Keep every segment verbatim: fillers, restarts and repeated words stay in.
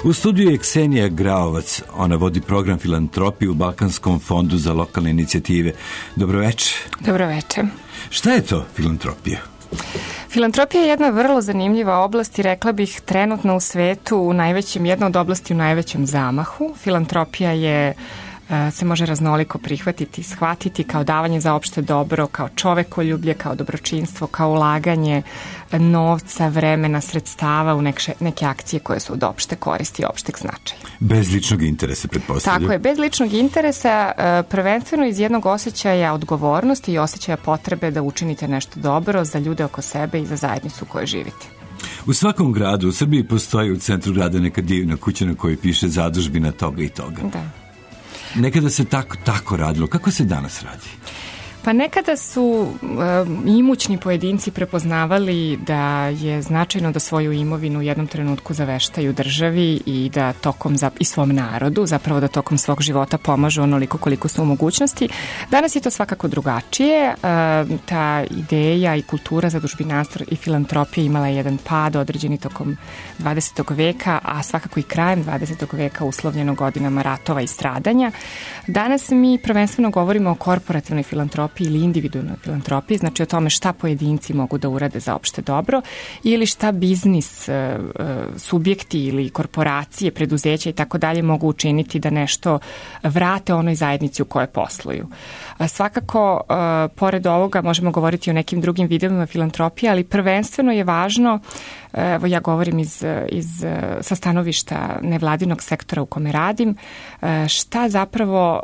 U studiju je Ksenija Graovac. Ona vodi program filantropije u Balkanskom fondu za lokalne inicijative. Dobroveče. Dobroveče. Šta je to filantropija? Filantropija je jedna vrlo zanimljiva oblast i rekla bih trenutno u svetu u najvećem, jedna od oblasti u najvećem zamahu. Filantropija je se može raznoliko prihvatiti, shvatiti kao davanje za opšte dobro, kao čovekoljublje, kao dobročinstvo, kao ulaganje novca, vremena, sredstava u neke, neke akcije koje su od opšte koristi i opšteg značaja. Bez ličnog interesa, pretpostavljam. Tako je, bez ličnog interesa, prvenstveno iz jednog osjećaja odgovornosti i osjećaja potrebe da učinite nešto dobro za ljude oko sebe i za zajednicu u kojoj živite. U svakom gradu, u Srbiji postoji u centru grada neka divna kuća na kojoj piše zadužbina toga i toga. Da. Nekada se tako, tako radilo. Kako se danas radi? Pa nekada su um, imućni pojedinci prepoznavali da je značajno da svoju imovinu u jednom trenutku zaveštaju državi i da tokom za, i svom narodu, zapravo da tokom svog života pomažu onoliko koliko su u mogućnosti. Danas je to svakako drugačije. Um, ta ideja i kultura zadužbinarstva i filantropije imala je jedan pad određeni tokom dvadesetog veka, a svakako i krajem dvadesetog veka uslovljeno godinama ratova i stradanja. Danas mi prvenstveno govorimo o korporativnoj filantropiji ili individualnoj filantropiji, znači o tome šta pojedinci mogu da urade za opšte dobro ili šta biznis e, subjekti ili korporacije, preduzeća i tako dalje mogu učiniti da nešto vrate onoj zajednici u kojoj posluju. A svakako, e, pored ovoga možemo govoriti o nekim drugim vidovima filantropije, ali prvenstveno je važno, evo ja govorim iz, iz, sa stanovišta nevladinog sektora u kome radim, šta zapravo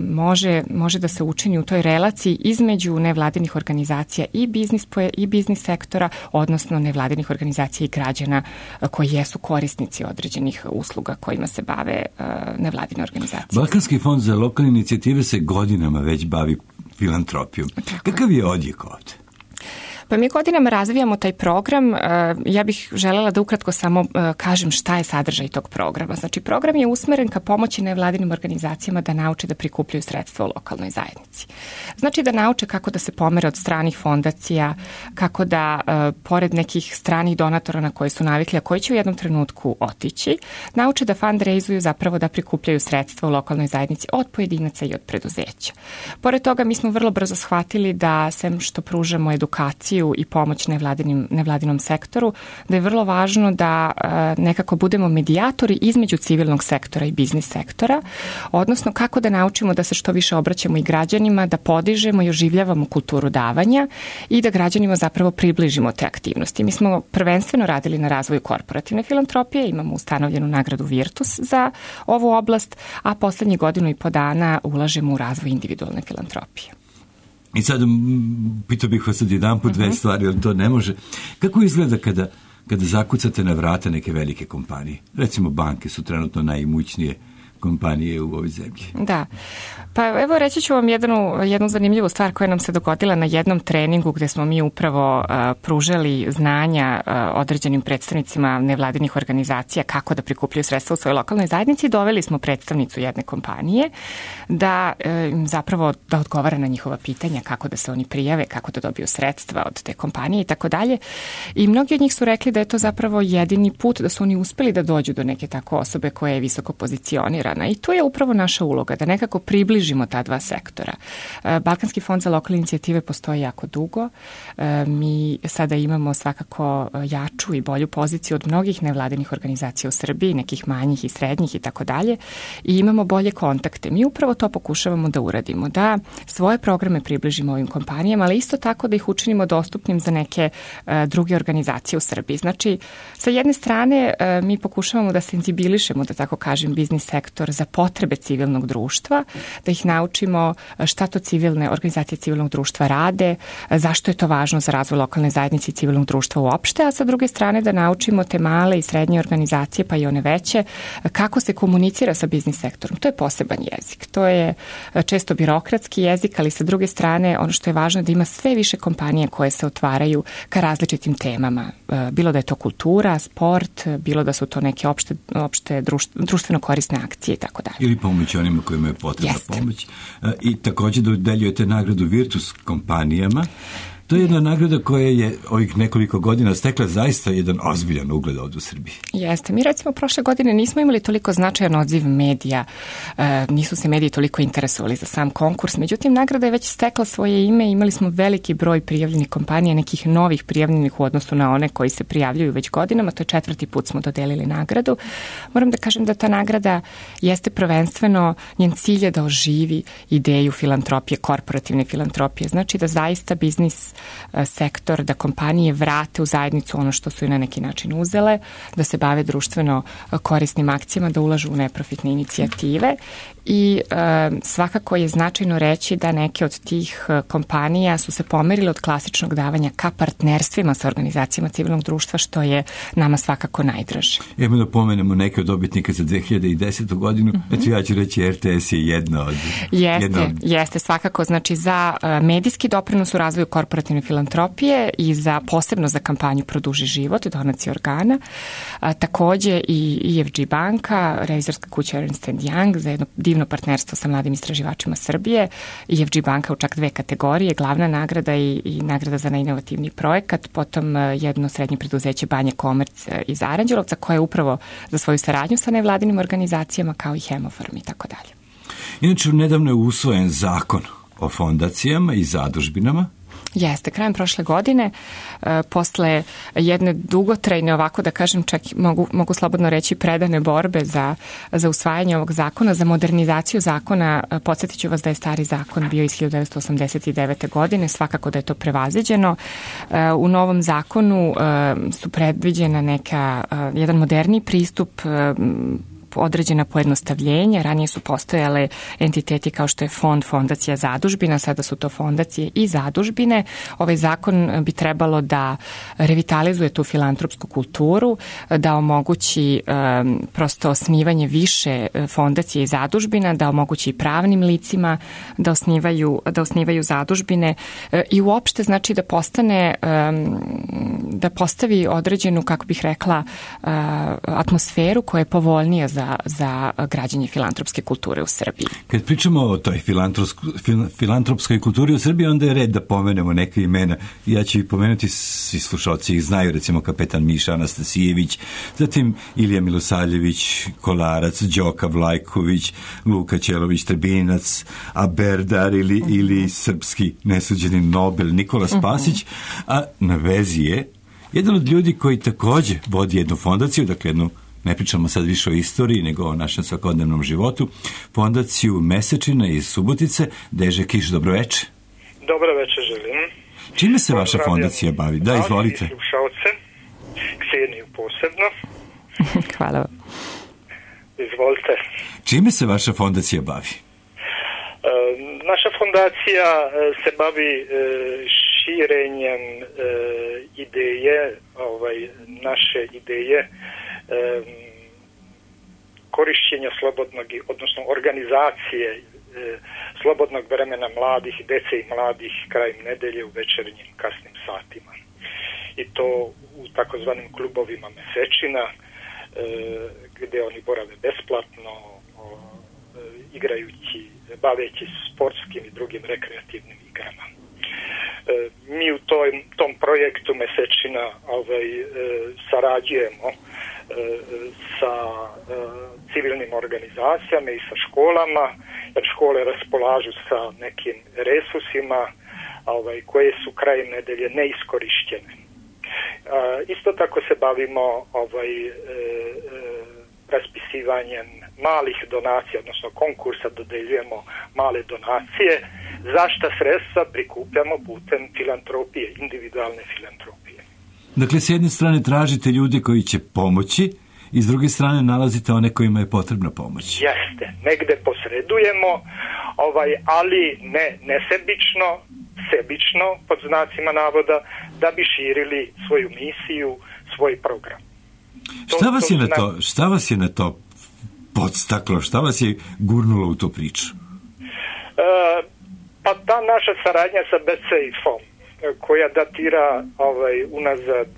može, može da se učini u toj relaciji između nevladinih organizacija i biznis, i biznis sektora, odnosno nevladinih organizacija i građana koji jesu korisnici određenih usluga kojima se bave nevladine organizacije. Balkanski fond za lokalne inicijative se godinama već bavi filantropijom. Tako. Kakav je odjek ovde? Pa mi godinama razvijamo taj program. Ja bih želela da ukratko samo kažem šta je sadržaj tog programa. Znači, program je usmeren ka pomoći nevladinim organizacijama da nauče da prikupljaju sredstva u lokalnoj zajednici. Znači da nauče kako da se pomere od stranih fondacija, kako da pored nekih stranih donatora na koje su navikli, a koji će u jednom trenutku otići, nauče da fundraisuju, zapravo da prikupljaju sredstva u lokalnoj zajednici od pojedinaca i od preduzeća. Pored toga mi smo vrlo brzo shvatili da sem što pružamo edukaciju i pomoć nevladinim, nevladinom sektoru, da je vrlo važno da e, nekako budemo medijatori između civilnog sektora i biznis sektora, odnosno kako da naučimo da se što više obraćamo i građanima, da podižemo i oživljavamo kulturu davanja i da građanima zapravo približimo te aktivnosti. Mi smo prvenstveno radili na razvoju korporativne filantropije, imamo ustanovljenu nagradu Virtus za ovu oblast, a poslednjih godinu i po dana ulažemo u razvoj individualne filantropije. I sad pitao bih vas sad jedan put dve stvari, ali to ne može. Kako izgleda kada, kada zakucate na vrata neke velike kompanije? Recimo banke su trenutno najimućnije kompanije u ovoj zemlji. Da. Pa evo reći ću vam jednu, jednu zanimljivu stvar koja nam se dogodila na jednom treningu gde smo mi upravo uh, pružali znanja uh, određenim predstavnicima nevladinih organizacija kako da prikupljaju sredstva u svojoj lokalnoj zajednici. Doveli smo predstavnicu jedne kompanije da um, zapravo da odgovara na njihova pitanja kako da se oni prijave, kako da dobiju sredstva od te kompanije i tako dalje. I mnogi od njih su rekli da je to zapravo jedini put da su oni uspeli da dođu do neke tako osobe koja je visoko pozicionirana. I to je upravo naša uloga, da nekako približimo ta dva sektora. Balkanski fond za lokalne inicijative postoji jako dugo. Mi sada imamo svakako jaču i bolju poziciju od mnogih nevladinih organizacija u Srbiji, nekih manjih i srednjih i tako dalje. I imamo bolje kontakte. Mi upravo to pokušavamo da uradimo, da svoje programe približimo ovim kompanijama, ali isto tako da ih učinimo dostupnim za neke druge organizacije u Srbiji. Znači, sa jedne strane mi pokušavamo da senzibilišemo, da tako kažem, biznis sektor za potrebe civilnog društva, da ih naučimo šta to civilne organizacije civilnog društva rade, zašto je to važno za razvoj lokalne zajednice i civilnog društva uopšte, a sa druge strane da naučimo te male i srednje organizacije, pa i one veće, kako se komunicira sa biznis sektorom. To je poseban jezik. To je često birokratski jezik, ali sa druge strane ono što je važno je da ima sve više kompanije koje se otvaraju ka različitim temama. Bilo da je to kultura, sport, bilo da su to neke opšte, opšte društveno korisne akcije i tako dalje. Ili pomoć onima kojima je potrebna pomoć. I također dodeljujete nagradu Virtus kompanijama. To je jedna nagrada koja je ovih nekoliko godina stekla zaista jedan ozbiljan ugled ovdje u Srbiji. Jeste. Mi recimo prošle godine nismo imali toliko značajan odziv medija, e, nisu se mediji toliko interesovali za sam konkurs, međutim nagrada je već stekla svoje ime, imali smo veliki broj prijavljenih kompanija, nekih novih prijavljenih u odnosu na one koji se prijavljuju već godinama, to je četvrti put smo dodelili nagradu. Moram da kažem da ta nagrada jeste prvenstveno, njen cilj je da oživi ideju filantropije, korporativne filantropije, znači da zaista biznis sektor, da kompanije vrate u zajednicu ono što su i na neki način uzele, da se bave društveno korisnim akcijama, da ulažu u neprofitne inicijative i e, svakako je značajno reći da neke od tih kompanija su se pomerile od klasičnog davanja ka partnerstvima sa organizacijama civilnog društva, što je nama svakako najdraže. Evo da pomenemo neke od dobitnika za dve hiljade desetu godinu, mm-hmm. Eto ja ću reći R T S je jedna od... Jeste, jedna od... jeste svakako, znači za medijski doprinos u razvoju korporativne filantropije i za posebno za kampanju Produži život, donacije organa, a, takođe i E F G banka, revizorska kuća Ernst and Young za jedno divno partnerstvo sa mladim istraživačima Srbije, E F G banka u čak dve kategorije, glavna nagrada i, i nagrada za najinovativniji projekat, potom jedno srednje preduzeće Banja Komerc iz Aranđelovca koje je upravo za svoju saradnju sa nevladinim organizacijama kao i Hemofarm i tako dalje. Inače, nedavno je usvojen zakon o fondacijama i zadužbinama. Jeste, krajem prošle godine, e, posle jedne dugotrajne, ovako da kažem, čak mogu, mogu slobodno reći predane borbe za, za usvajanje ovog zakona, za modernizaciju zakona, podsjetit ću vas da je stari zakon bio iz hiljadu devetsto osamdeset devete. godine, svakako da je to prevaziđeno. E, u novom zakonu e, su predviđena neka, e, jedan moderniji pristup, e, određena pojednostavljenja. Ranije su postojale entiteti kao što je fond, fondacija, zadužbina, sada su to fondacije i zadužbine. Ovaj zakon bi trebalo da revitalizuje tu filantropsku kulturu, da omogući um, prosto osnivanje više fondacije i zadužbina, da omogući i pravnim licima da osnivaju, da osnivaju zadužbine i uopšte znači da postane um, da postavi određenu, kako bih rekla, uh, atmosferu koja je povoljnija za za građenje filantropske kulture u Srbiji. Kad pričamo o toj filantropskoj kulturi u Srbiji, onda je red da pomenemo neke imena. Ja ću ih pomenuti, svi slušalci ih znaju, recimo kapetan Miša Anastasijević, zatim Ilija Milosavljević, Kolarac, Đoka Vlajković, Luka Ćelović, Trebinac, Aberdar ili, uh-huh. ili srpski nesuđeni Nobel Nikola Spasić, uh-huh. a na vezi je jedan od ljudi koji takođe vodi jednu fondaciju, dakle jednu, ne pričamo sad više o istoriji, nego o našem svakodnevnom životu, fondaciju Mesečina iz Subotice. Deže Kiš, dobroveče. Dobroveče želim. Čime se vaša fondacija bavi? Da, izvolite. Slušalce, Kseniju posebno. Hvala vam. Izvolite. Čime se vaša fondacija bavi? E, naša fondacija se bavi e, širenjem e, ideje, ovaj, naše ideje, korišćenja slobodnog, odnosno organizacije e, slobodnog vremena mladih, dece i mladih krajem nedelje u večernjim kasnim satima. I to u takozvanim klubovima Mesečina, e, gde oni borave besplatno, o, e, igrajući, baveći sportskim i drugim rekreativnim igrama. E, mi u toj, tom projektu Mesečina ovaj, e, sarađujemo sa e, civilnim organizacijama i sa školama, jer škole raspolažu sa nekim resursima ovaj, koje su krajem nedelje neiskorišćene. E, isto tako se bavimo ovaj, e, e, raspisivanjem malih donacija, odnosno konkursa dodeljujemo male donacije, za šta sredstva prikupljamo putem filantropije, individualne filantropije. Dakle, s jedne strane tražite ljude koji će pomoći i s druge strane nalazite one kojima je potrebna pomoć. Jeste, negde posredujemo, ovaj, ali ne nesebično, sebično, pod znacima navoda, da bi širili svoju misiju, svoj program. To, šta, vas to je na to, šta vas je na to podstaklo, šta vas je gurnulo u tu priču? E, pa ta naša saradnja sa B C I F-om, koja datira ovaj, unazad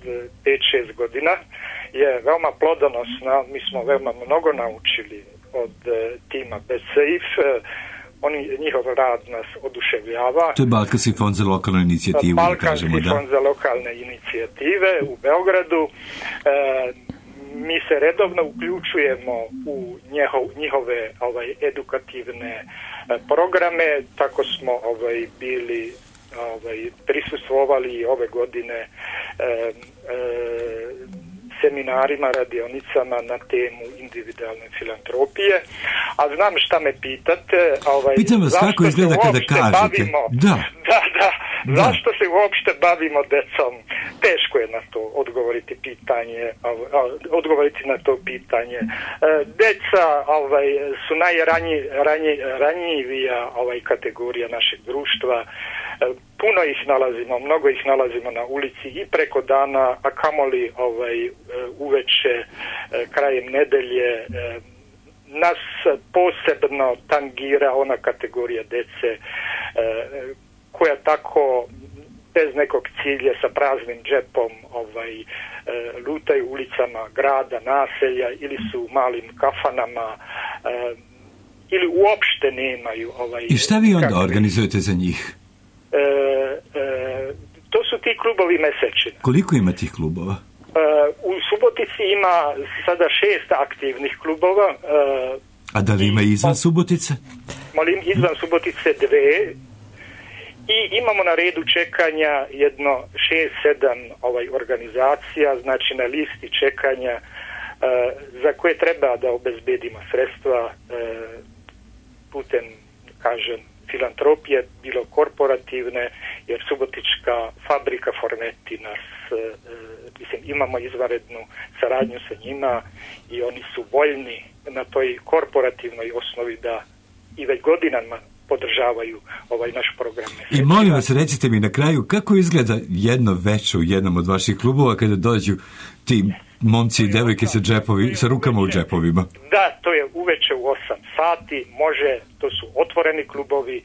pet šest godina, je veoma plodonosna. Mi smo veoma mnogo naučili od e, tima B C I F. oni, njihov rad nas oduševljava. To je Balkanski fond za lokalnu inicijativu. Balkanski kažemo, da? fond za lokalne inicijative u Beogradu. E, mi se redovno uključujemo u njihov, njihove ovaj, edukativne e, programe, tako smo ovaj, bili ovaj, prisustvovali ove godine e, e, seminarima, radionicama na temu individualne filantropije. A znam šta me pitate. Ovaj, Pitam vas kako izgleda kada kažete. Bavimo, da. Da, da. Da. Zašto se uopšte bavimo decom? Teško je na to odgovoriti pitanje, odgovoriti na to pitanje. Deca ovaj, su najranjivija ovaj, kategorija našeg društva. Puno ih nalazimo, mnogo ih nalazimo na ulici i preko dana, a kamoli ovaj, uveče, krajem nedelje. Nas posebno tangira ona kategorija dece koja tako bez nekog cilja sa praznim džepom ovaj, lutaju ulicama grada, naselja ili su u malim kafanama ili uopšte nemaju. Ovaj, I šta vi onda kakvi... organizujete za njih? E, e, to su ti klubovi mesečina. Koliko ima tih klubova? E, u Subotici ima sada šest aktivnih klubova. E, A da li ima i izvan Subotice? Molim, izvan Subotice dve. I imamo na redu čekanja jedno šest sedam ovaj, organizacija, znači na listi čekanja e, za koje treba da obezbedimo sredstva e, putem, kažem, filantropije, bilo korporativne, jer Subotička fabrika Forneti nas, e, mislim, imamo izvanrednu saradnju sa njima i oni su voljni na toj korporativnoj osnovi da i već godinama podržavaju ovaj naš program. I molim vas, recite mi na kraju, kako izgleda jedno veče u jednom od vaših klubova kada dođu ti momci i devojke sa, džepovi, sa rukama u džepovima? Da, to je uveče u osam sati, može, to su otvoreni klubovi,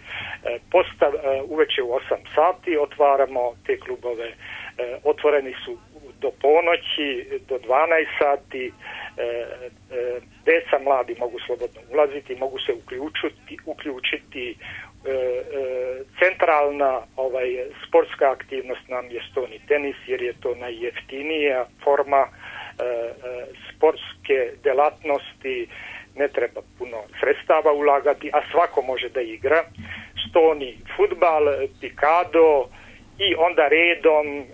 postav, uveče u osam sati otvaramo te klubove, otvoreni su do ponoći, do dvanaest sati, deca mladi mogu slobodno ulaziti, mogu se uključiti, uključiti centralna ovaj, sportska aktivnost nam je stoni tenis, jer je to najjeftinija forma sportske delatnosti, ne treba puno sredstava ulagati, a svako može da igra. Stoni fudbal, pikado i onda redom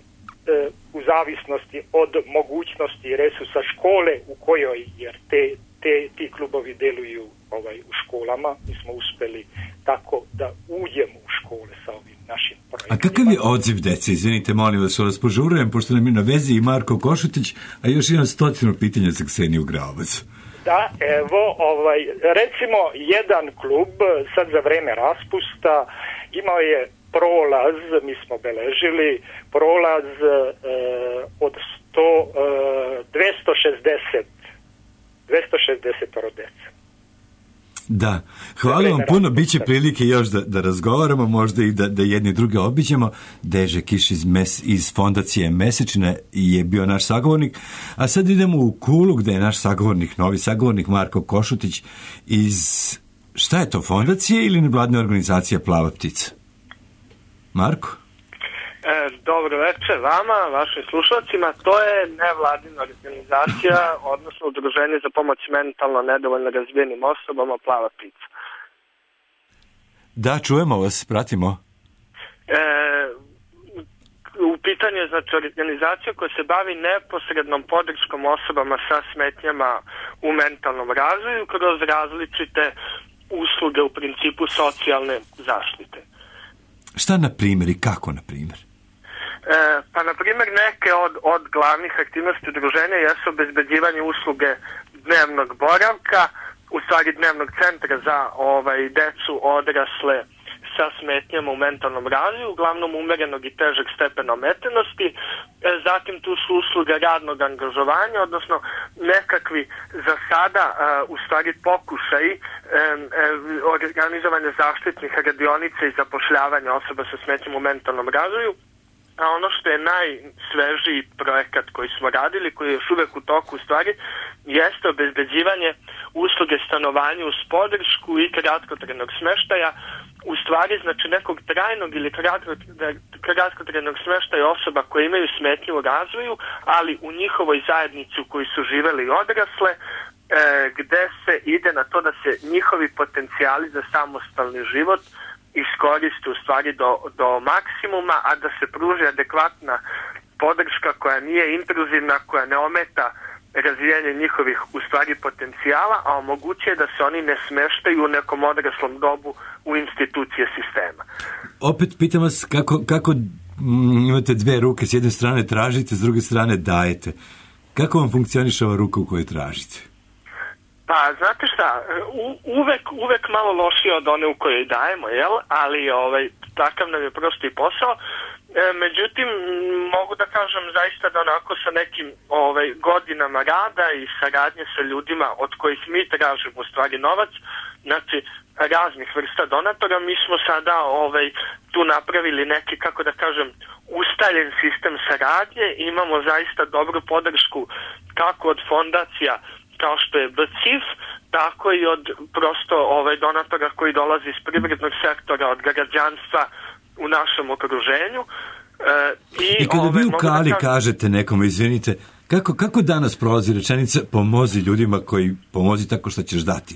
u zavisnosti od mogućnosti i resursa škole u kojoj, jer te, te, ti klubovi deluju ovaj, u školama, mi smo uspeli tako da uđemo u škole sa ovim našim projektima. A kakav je odziv dece? Izvinite, molim vas, vas požurujem, pošto nam je na vezi i Marko Košutić, a još jedan stotinu pitanja za Kseniju Graovac. Da, evo, ovaj, recimo jedan klub sad za vreme raspusta imao je prolaz, mi smo beležili, prolaz e, od sto, e, dvesta šezdeset rodeca. Da, hvala vam puno, bit će prilike još da, da razgovaramo, možda i da, da jedni druge obiđemo. Deže Kiš iz, mes, iz fondacije Mesečina je bio naš sagovornik, a sad idemo u Kulu gde je naš sagovornik, novi sagovornik Marko Košutić iz, šta je to, fondacije ili nevladne organizacije Plava ptica? Marko? E, dobro večer vama, vašim slušalcima. To je nevladina organizacija, odnosno udruženje za pomoć mentalno nedovoljno razvijenim osobama Plava ptica. Da, čujemo vas, pratimo. E, u pitanju je znači organizacija koja se bavi neposrednom podrškom osobama sa smetnjama u mentalnom razvoju kroz različite usluge u principu socijalne zaštite. Šta na primjer i kako na primjer? E, pa na primjer neke od, od glavnih aktivnosti udruženja jesu obezbeđivanje usluge dnevnog boravka, u stvari dnevnog centra za ovaj, decu odrasle sa smetnjama u mentalnom razvoju, uglavnom umerenog i težeg stepena ometenosti. E, zatim tu su usluge radnog angažovanja, odnosno nekakvi za sada e, u stvari pokušaji e, e, organizovanja zaštitnih radionica i zapošljavanja osoba sa smetnjama u mentalnom razvoju. a ono što je najsvežiji projekat koji smo radili, koji je još uvek u toku u stvari, jeste obezbeđivanje usluge stanovanja uz podršku i kratkotrajnog smeštaja, u stvari znači nekog trajnog ili kratkotrajnog smeštaja osoba koje imaju smetnju u razvoju, ali u njihovoj zajednici u kojoj su živeli i odrasle, e, gde se ide na to da se njihovi potencijali za samostalni život iskoriste u stvari do, do maksimuma, a da se pruži adekvatna podrška koja nije intruzivna, koja ne ometa razvijanje njihovih u stvari potencijala, a omogućuje da se oni ne smeštaju u nekom odraslom dobu u institucije sistema. Opet pitam vas kako, kako m, imate dve ruke, s jedne strane tražite, s druge strane dajete. Kako vam funkcioniše ova ruka u kojoj tražite? Pa, znate šta, u, uvek, uvek malo lošije od one u kojoj dajemo, jel? Ali ovaj, takav nam je prosto i posao. E, međutim, mogu da kažem zaista da onako sa nekim ovaj, godinama rada i saradnje sa ljudima od kojih mi tražimo u stvari novac, znači raznih vrsta donatora, mi smo sada ovaj, tu napravili neki, kako da kažem, ustaljen sistem saradnje, imamo zaista dobru podršku kako od fondacija kao što je B C I F, tako i od prosto ovaj, donatora koji dolazi iz privrednog sektora, od građanstva u našem okruženju. E, I, I kada ovaj, vi u Kali da kažete nekome, izvinite, kako, kako danas prolazi rečenica pomozi ljudima koji pomozi tako što ćeš dati?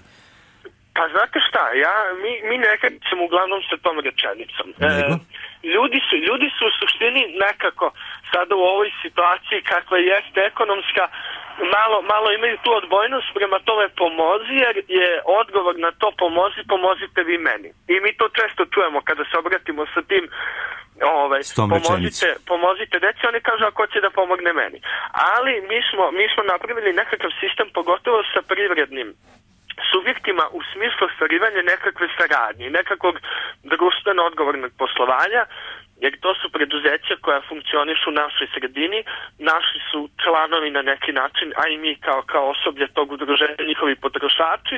Pa znate šta, ja, mi, mi nekad ćemo uglavnom sa tom rečenicom. E, ljudi, su, ljudi su u suštini nekako sada u ovoj situaciji kakva jeste ekonomska, malo, malo imaju tu odbojnost prema tome pomozi, jer je odgovor na to pomozi, pomozite vi meni. I mi to često čujemo kada se obratimo sa tim ovaj, pomozite, pomozite deci, oni kažu ako će da pomogne meni. Ali mi smo, mi smo napravili nekakav sistem, pogotovo sa privrednim subjektima u smislu ostvarivanja nekakve saradnje, nekakvog društveno odgovornog poslovanja, jer to su preduzeća koja funkcionišu u našoj sredini, naši su članovi na neki način, a i mi kao, kao osoblje tog udruženja, njihovi potrošači,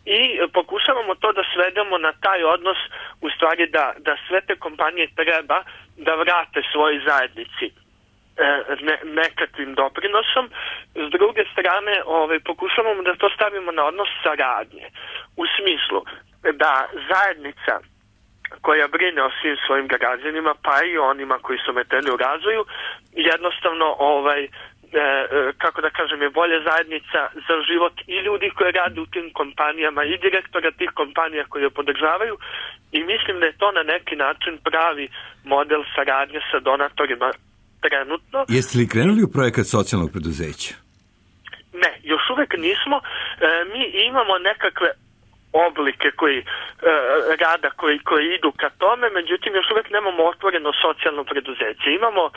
i pokušavamo to da svedemo na taj odnos, u stvari da, da sve te kompanije treba da vrate svojoj zajednici Ne, nekakvim doprinosom. S druge strane, ovaj, pokušavamo da to stavimo na odnos saradnje. U smislu da zajednica koja brine o svim svojim građanima, pa i onima koji su ometeni u razvoju, jednostavno ovaj, e, kako da kažem, je bolja zajednica za život i ljudi koji rade u tim kompanijama i direktora tih kompanija koji je podržavaju, i mislim da je to na neki način pravi model saradnje sa donatorima trenutno. Jeste li krenuli u projekat socijalnog preduzeća? Ne, još uvek nismo. E, mi imamo nekakve oblike koji, e, rada koji, koji idu ka tome, međutim još uvek nemamo otvoreno socijalno preduzeće. Imamo e,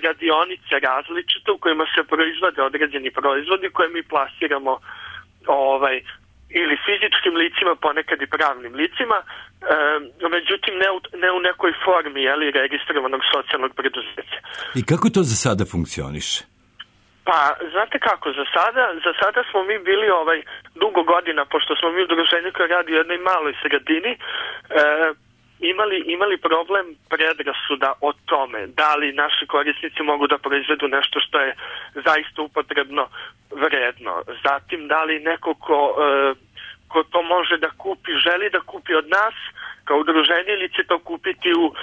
radionice različite u kojima se proizvode određeni proizvodi koje mi plasiramo ovaj, ili fizičkim licima, ponekad i pravnim licima, e, međutim ne u, ne u nekoj formi, jeli, registrovanog socijalnog preduzeća. I kako to za sada funkcioniše? Pa, znate kako, za sada, za sada smo mi bili ovaj dugo godina, pošto smo mi udruženje koje radi u jednoj maloj sredini, e, imali, imali problem predrasuda o tome da li naši korisnici mogu da proizvedu nešto što je zaista upotrebno vredno. Zatim, da li neko ko, e, ko to može da kupi, želi da kupi od nas kao udruženje, ili će to kupiti u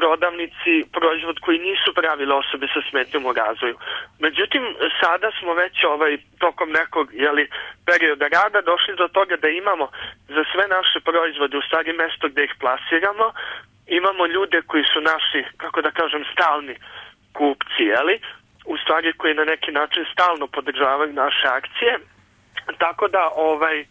prodavnici proizvod koji nisu pravile osobe sa smetnjom u razvoju. Međutim, sada smo već ovaj, tokom nekog jeli, perioda rada došli do toga da imamo za sve naše proizvode u stvari mesto gde ih plasiramo, imamo ljude koji su naši, kako da kažem, stalni kupci, jeli, u stvari koji na neki način stalno podržavaju naše akcije, tako da ovaj,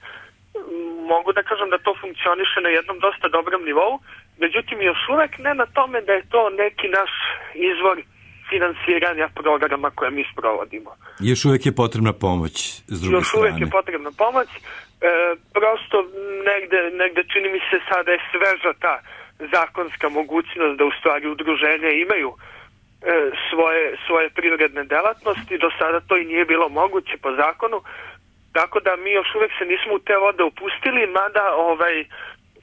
mogu da kažem da to funkcioniše na jednom dosta dobrom nivou, međutim još uvek ne na tome da je to neki naš izvor finansiranja programa koje mi sprovodimo. Još uvek je potrebna pomoć s druge Još strane. uvek je potrebna pomoć, e, prosto negde, negde čini mi se sada je sveža ta zakonska mogućnost da u stvari udruženja imaju e, svoje, svoje privredne delatnosti, do sada to i nije bilo moguće po zakonu, tako da mi još uvek se nismo u te vode upustili, mada ovaj,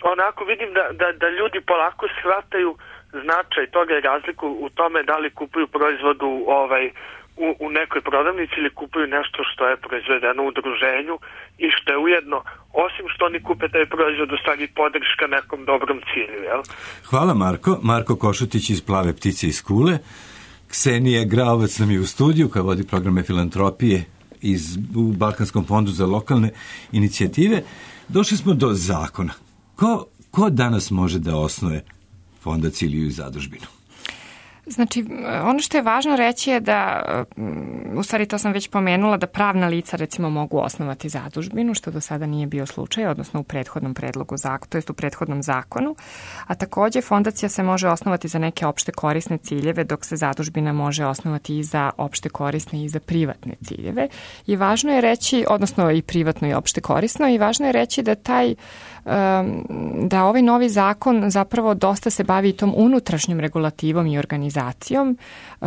onako vidim da, da, da ljudi polako shvataju značaj toga i razliku u tome da li kupuju proizvodu ovaj, u, u nekoj prodavnici ili kupuju nešto što je proizvedeno u udruženju i što je ujedno, osim što oni kupe taj proizvod, u stvari podrška nekom dobrom cilju. Jel? Hvala Marko. Marko Košutić iz Plave ptice iz Kule. Ksenija Graovac nam je u studiju koja vodi programe filantropije iz, u Balkanskom fondu za lokalne inicijative. Došli smo do zakona. Ko, ko danas može da osnuje fondaciju ili zadužbinu? Znači, ono što je važno reći je da, u stvari to sam već pomenula, da pravna lica recimo mogu osnovati zadužbinu, što do sada nije bio slučaj, odnosno u prethodnom predlogu zakona, to jest u prethodnom zakonu, a takođe fondacija se može osnovati za neke opšte korisne ciljeve, dok se zadužbina može osnovati i za opšte korisne i za privatne ciljeve. I važno je reći, odnosno i privatno i opšte korisno, i važno je reći da taj da ovaj novi zakon zapravo dosta se bavi i tom unutrašnjom regulativom i organizacijom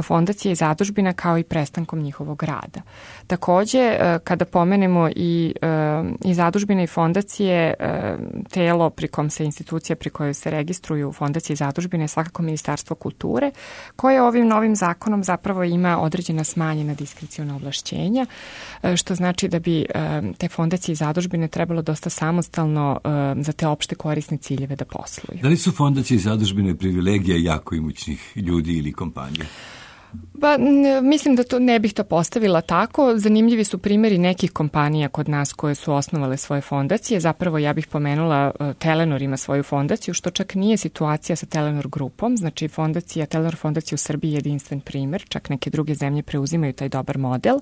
fondacije i zadužbina kao i prestankom njihovog rada. Takođe, kada pomenemo i, i zadužbine i fondacije, telo pri kom se institucija pri kojoj se registruju fondacije i zadužbine je svakako Ministarstvo kulture, koje ovim novim zakonom zapravo ima određena smanjena diskreciona ovlašćenja, što znači da bi te fondacije i zadužbine trebalo dosta samostalno za te opšte korisne ciljeve da posluju. Da li su fondacije i zadužbine privilegija jako imućnih ljudi ili kompanija? Ba, mislim da to ne bih to postavila tako. Zanimljivi su primjeri nekih kompanija kod nas koje su osnovale svoje fondacije. Zapravo ja bih pomenula Telenor ima svoju fondaciju, što čak nije situacija sa Telenor grupom. Znači fondacija, Telenor fondacija u Srbiji je jedinstven primjer, čak neke druge zemlje preuzimaju taj dobar model.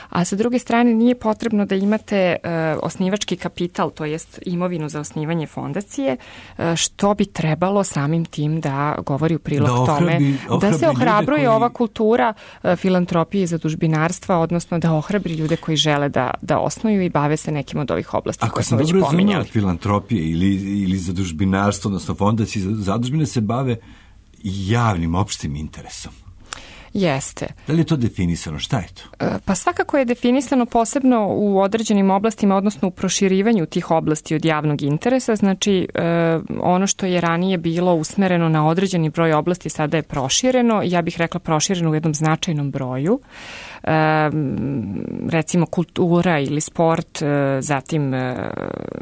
A sa druge strane nije potrebno da imate uh, osnivački kapital, to jest imovinu za osnivanje fondacije, uh, što bi trebalo samim tim da govori u prilog da ohrabi, tome, da se ohrabruje koji... ova kultura uh, filantropije i zadužbinarstva, odnosno da ohrabri ljude koji žele da, da osnuju i bave se nekim od ovih oblasti koje smo već pominjali. Ako sam dobro razumela, filantropije ili, ili zadužbinarstvo, odnosno fondacije zadužbine se bave javnim opštim interesom. Jeste. Da li je to definisano? Šta je to? Pa svakako je definisano posebno u određenim oblastima, odnosno u proširivanju tih oblasti od javnog interesa. Znači, ono što je ranije bilo usmereno na određeni broj oblasti sada je prošireno. Ja bih rekla prošireno u jednom značajnom broju. Recimo kultura ili sport, zatim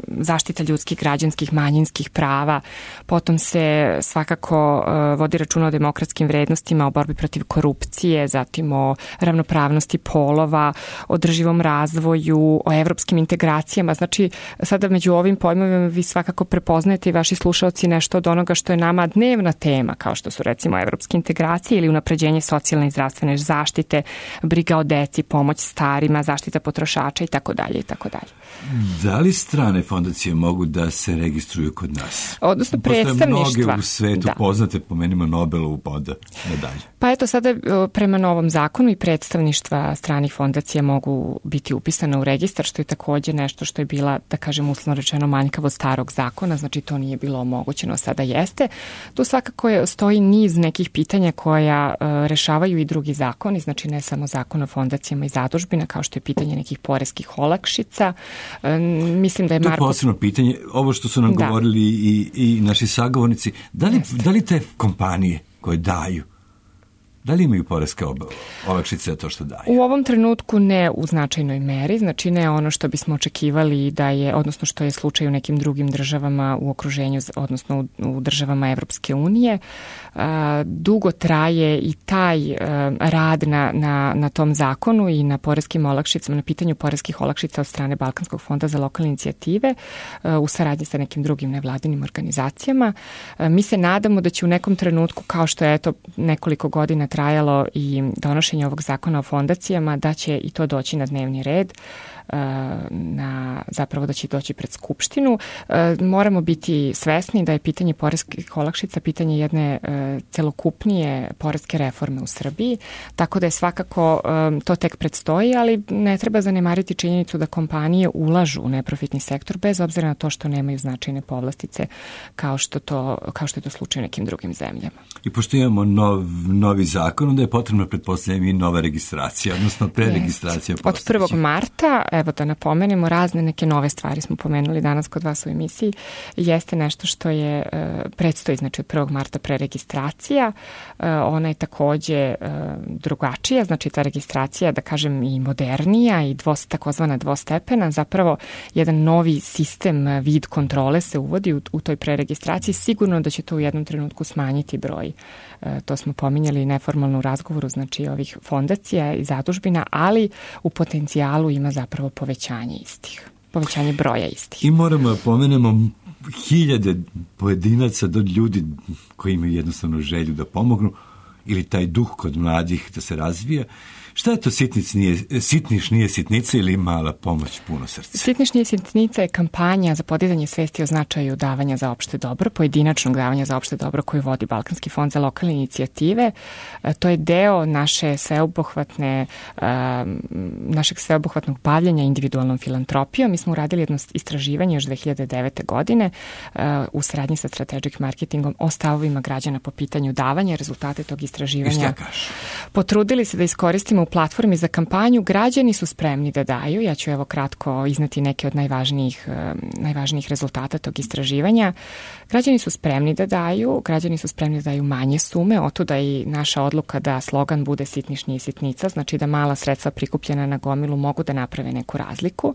zaštita ljudskih, građanskih, manjinskih prava. Potom se svakako vodi računa o demokratskim vrednostima, o borbi protiv korupcije, zatim o ravnopravnosti polova, o održivom razvoju, o evropskim integracijama. Znači, sada među ovim pojmovima vi svakako prepoznajete i vaši slušalci nešto od onoga što je nama dnevna tema, kao što su recimo evropske integracije ili unapređenje socijalne i zdravstvene zaštite, briga o deci, pomoć starima, zaštita potrošača i tako dalje i tako dalje. Da li strane fondacije mogu da se registruju kod nas? Odnosno predstavništva. Postoje mnoge u svetu da. Poznate, pomenimo Nobelovu poda medalje. Pa eto sada prema novom zakonu i predstavništva stranih fondacija mogu biti upisane u registar, što je takođe nešto što je bila, da kažem uslovno rečeno, manjkavo starog zakona, znači to nije bilo omogućeno, sada jeste. Tu svakako je, stoji niz nekih pitanja koja uh, rešavaju i drugi zakoni, znači ne samo zakon o fondacijama i zadužbina, kao što je pitanje nekih poreskih olakšica. Uh, mislim da je Marko... To je posebno pitanje, ovo što su nam da. govorili i, i naši sagovornici, da li, da li te kompanije koje daju, da li imaju poreske olakšice za to što daju? U ovom trenutku ne u značajnoj meri, znači ne ono što bismo očekivali da je, odnosno što je slučaj u nekim drugim državama u okruženju, odnosno u, u državama Evropske unije. Dugo traje i taj rad na, na, na tom zakonu i na poreskim olakšicama, na pitanju poreskih olakšica od strane Balkanskog fonda za lokalne inicijative u saradnji sa nekim drugim nevladinim organizacijama. Mi se nadamo da će u nekom trenutku, kao što je eto nekoliko godina trajalo i donošenje ovog zakona o fondacijama, da će i to doći na dnevni red, na, zapravo da će doći pred Skupštinu. Moramo biti svesni da je pitanje poreskih olakšica pitanje jedne celokupnije poreske reforme u Srbiji, tako da je svakako to tek predstoji, ali ne treba zanemariti činjenicu da kompanije ulažu u neprofitni sektor bez obzira na to što nemaju značajne povlastice kao što, to, kao što je to slučaj u nekim drugim zemljama. I pošto imamo nov, novi zakon, onda je potrebno pretpostavljati i nova registracija, odnosno preregistracija. Od prvog marta evo da napomenemo, razne neke nove stvari smo pomenuli danas kod vas u emisiji, jeste nešto što je predstoji, znači od prvog marta preregistracija, ona je takođe drugačija, znači ta registracija, da kažem, i modernija i dvos, takozvana dvostepena, zapravo jedan novi sistem, vid kontrole se uvodi u, u toj preregistraciji, sigurno da će to u jednom trenutku smanjiti broj. To smo pominjali neformalno u razgovoru, znači ovih fondacija i zadužbina, ali u potencijalu ima zapravo povećanje istih, povećanje broja istih. I moramo da pomenemo hiljade pojedinaca do ljudi koji imaju jednostavno želju da pomognu ili taj duh kod mladih da se razvija. Šta je to sitnic nije, sitniš nije sitnica ili mala pomoć puno srca? Sitniš nije sitnica je kampanja za podizanje svesti o značaju davanja za opšte dobro, pojedinačnog davanja za opšte dobro koju vodi Balkanski fond za lokalne inicijative. To je deo naše sveobuhvatne, našeg sveobuhvatnog bavljenja individualnom filantropijom. Mi smo uradili jedno istraživanje još dve hiljade devete. godine u saradnji sa Strategic Marketingom o stavovima građana po pitanju davanja. Rezultate tog istraživanja potrudili se da iskoristimo u platformi za kampanju. Građani su spremni da daju. Ja ću evo kratko izneti neke od najvažnijih, najvažnijih rezultata tog istraživanja. Građani su spremni da daju, građani su spremni da daju manje sume, otuda i naša odluka da slogan bude sitniš nije sitnica, znači da mala sredstva prikupljena na gomilu mogu da naprave neku razliku.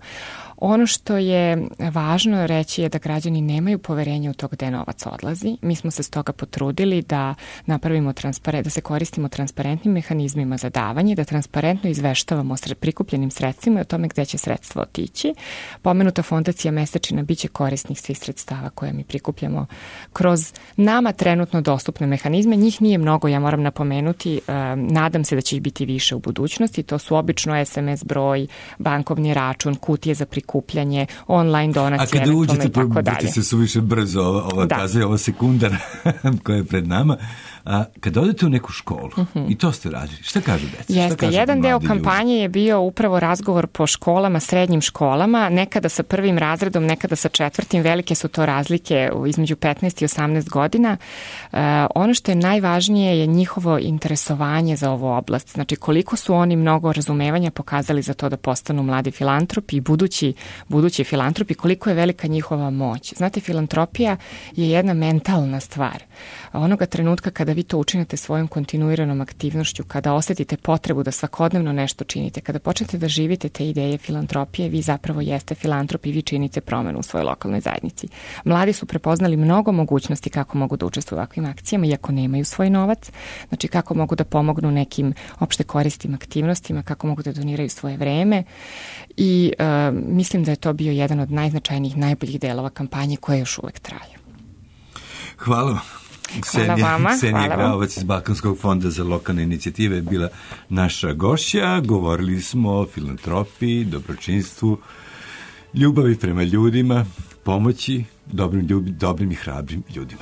Ono što je važno reći je da građani nemaju poverenja u to gde novac odlazi. Mi smo se stoga potrudili da napravimo transparent, da se koristimo transparentnim mehanizmima za davanje, da transparentno izveštavamo o prikupljenim sredstvima i o tome gde će sredstva otići. Pomenuta fondacija Mesečina biće korisnih svih sredstava koje mi prikupljamo kroz nama trenutno dostupne mehanizme. Njih nije mnogo, ja moram napomenuti, nadam se da će ih biti više u budućnosti. To su obično es em es broj, bankovni račun, kutije za prikupljanje, online donacije, a kada uđete, probudite se suviše brzo, ova, ova da. kaza je ova sekundar koja je pred nama. A kada odete u neku školu, uh-huh. i to ste radili, šta kažu deca? Jeste, jedan deo kampanje je bio upravo razgovor po školama, srednjim školama, nekada sa prvim razredom, nekada sa četvrtim, velike su to razlike između petnaest i osamnaest godina. Uh, ono što je najvažnije je njihovo interesovanje za ovu oblast, znači koliko su oni mnogo razumevanja pokazali za to da postanu mladi filantropi i budući, budući filantropi, koliko je velika njihova moć. Znate, filantropija je jedna mentalna stvar. Onoga trenutka kada vi to učinite svojom kontinuiranom aktivnošću, kada osetite potrebu da svakodnevno nešto činite, kada počnete da živite te ideje filantropije, vi zapravo jeste filantrop i vi činite promenu u svojoj lokalnoj zajednici. Mladi su prepoznali mnogo mogućnosti kako mogu da učestvuju u ovakvim akcijama, iako nemaju svoj novac, znači kako mogu da pomognu nekim opšte koristim aktivnostima, kako mogu da doniraju svoje vreme i uh, mislim da je to bio jedan od najznačajnijih, najboljih delova kampanje koje još uvek traju. Hvala. Hvala vama. Ksenija Graovac iz Balkanskog fonda za lokalne inicijative je bila naša gošća. Govorili smo o filantropiji, dobročinstvu, ljubavi prema ljudima, pomoći dobrim, ljub, dobrim i hrabrim ljudima.